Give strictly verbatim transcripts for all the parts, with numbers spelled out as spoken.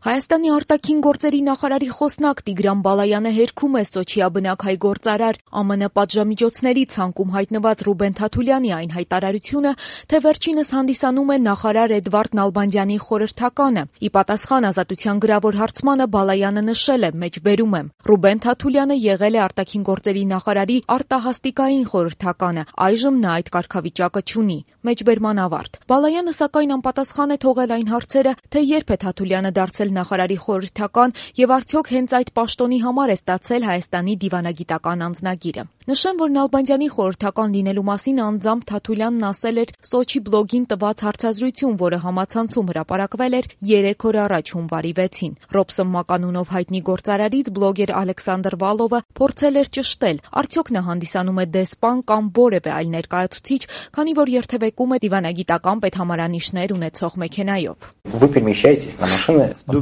Հայաստանի արտաքին գործերի նախարարի խոսնակ Տիգրան Բալայանը հերքում է Սոչիա բնակ հայ գործարար ԱՄՆ պատժամիջոցների ցանկում հայտնված Ռուբեն Թաթուլյանի այն հայտարարությունը, թե վերջինս հանդիսանում է նախարար Էդվարդ Նալբանդյանի խորհրդականը։ Ի պատասխան Ազատության գրավոր հարցմանը Բալայանը նշել է, մեջբերում եմ. Ռուբեն Թաթուլյանը եղել է արտաքին գործերի նախարարի արտահաստիկային խորհրդականը, այժմ նա այդ կարգավիճակը չունի։ Մեջբերման ավարտ։ Բալայանը սակայն անպատասխան է թողել այն հարցերը, թե երբ է Թաթուլյանը դարձել նախարարի խորհրդական եւ արդյոք հենց այդ պաշտոնի համար է ստացել Հայաստանի դիվանագիտական անձնագիրը։ Նշեմ, որ Նալբանդյանի խորհրդական լինելու մասին անձամբ Թաթուլյանն ասել էր Սոչի բլոգին տված հարցազրույցում, որը համացանցում հրապարակվել էր երեք օր առաջ հունվարի վեցին։ Ռոբսոն մականունով հայտնի գործարարից բլոգեր Ալեքսանդր Վալովը փորձել էր ճշտել, արդյոք նա հանդիսանում է դեսպան կամ որևէ այլ ներկայացուցիչ, քանի որ երթևեկում է դիվանագիտական պետհամարանիշներ ունեցող մեքենայով։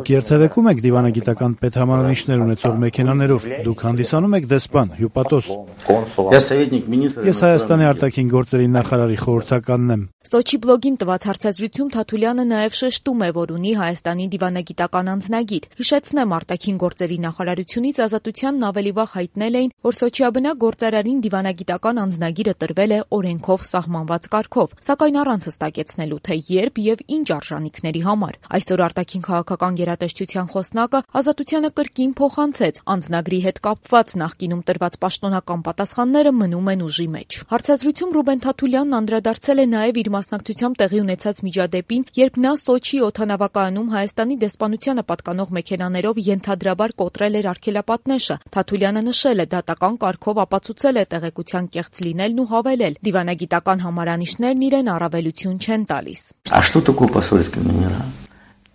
Դուք երթևեկում եք դիվանագիտական պետհամարանիշներ ունեցող մեքենաներով, դուք հանդիսանում եք դեսպան, հյուպատոս։ Ես Հայաստանի արտաքին գործերի նախարարի խորհրդականն եմ։ Սոչի բլոգին տված հարցազրույցում Թաթուլյանը նաև շեշտում է, որ ունի Հայաստանի դիվանագիտական անձնագիր։ Հիշեցնեմ, արտաքին գործերի նախարարությունից Ազատությանն ավելի վաղ հայտնել էին, որ Սոչիաբնակ գործարարին դիվանագիտական անձնագիրը տրվել է օրենքով սահմանված կարգով, սակայն առանց հստակեցնելու, թե երբ եւ ինչ արժանինքների համար։ Այսօր արտաքին քաղաքական գերատեսչության խոսնակը Ազատությանը կրկին փոխանցեց, անձնագրի հետ կապված նախկինում տրված պաշտոնական պատասխանները մնում են ուժի մեջ։ Հարցազրույցում Ռուբեն Թաթուլյանն անդրադարձել է նաև իր մասնակցությամբ տեղի ունեցած միջադեպին, երբ նա Սոչի օդանավակայանում Հայաստանի դեսպանությանը պատկանող մեքենաներով ենթադրաբար կոտրել էր արգելապատնեշը։ Թաթուլյանը նշել է, դատական կարգով ապացուցել է տեղեկության կեղծ լինելն ու հավելել, դիվանագիտական համարանիշներն իրեն առավելություն չեն տալիս։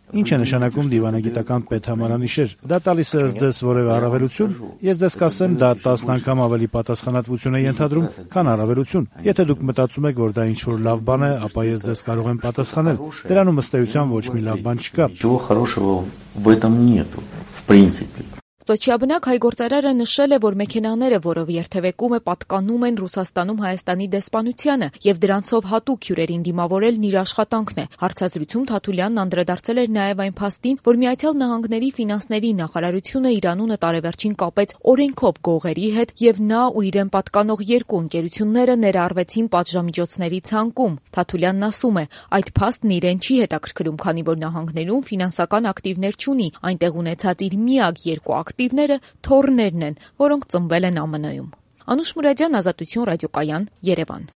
Ինչ է նշանակում դիվանագիտական պետհամարանիշեր։ Դա տալիս է ձեզ որևէ առավելություն։ Ես ձեզ կասեմ, դա տասն անգամ ավելի պատասխանատվություն է ենթադրում, քան առավելություն։ Եթե դուք մտածում եք, որ դա ինչ-որ լավ բան է, ապա ես ձեз կարող եմ պատասխանել։ Դրանում ըստ էության ոչ մի լավ բան չկա։ Սոչիաբնակ հայ գործարարը նշել է, որ մեքենաները, որով երթևեկում է, պատկանում են Ռուսաստանում Հայաստանի դեսպանությանը եւ դրանցով հատուկ հյուրերին դիմավորելն իր աշխատանքն է։ Հարցազրույցում Թաթուլյանն անդրադարձել էր նաեւ այն փաստին, որ Միացյալ Նահանգների ֆինանսների նախարարությունը իր անունը տարեվերջին կապեց օրենքով գողերի հետ եւ նա ու իրեն պատկանող երկու ընկերությունները ներառվեցին պատժամիջոցների ցանկում։ Թաթուլյանն ասում է, այդ փաստն իրեն չի հետաքրքրում, քանի որ նահանգներում ֆինանսական ակտիվներ չունի, այնտեղ ունեցած իր միակ երկու ակտիվները թոռներն են, որոնք ծնվել են ԱՄՆ-ում։ Անուշ Մուրադյան, Ազատություն ռադիոկայան, Երևան։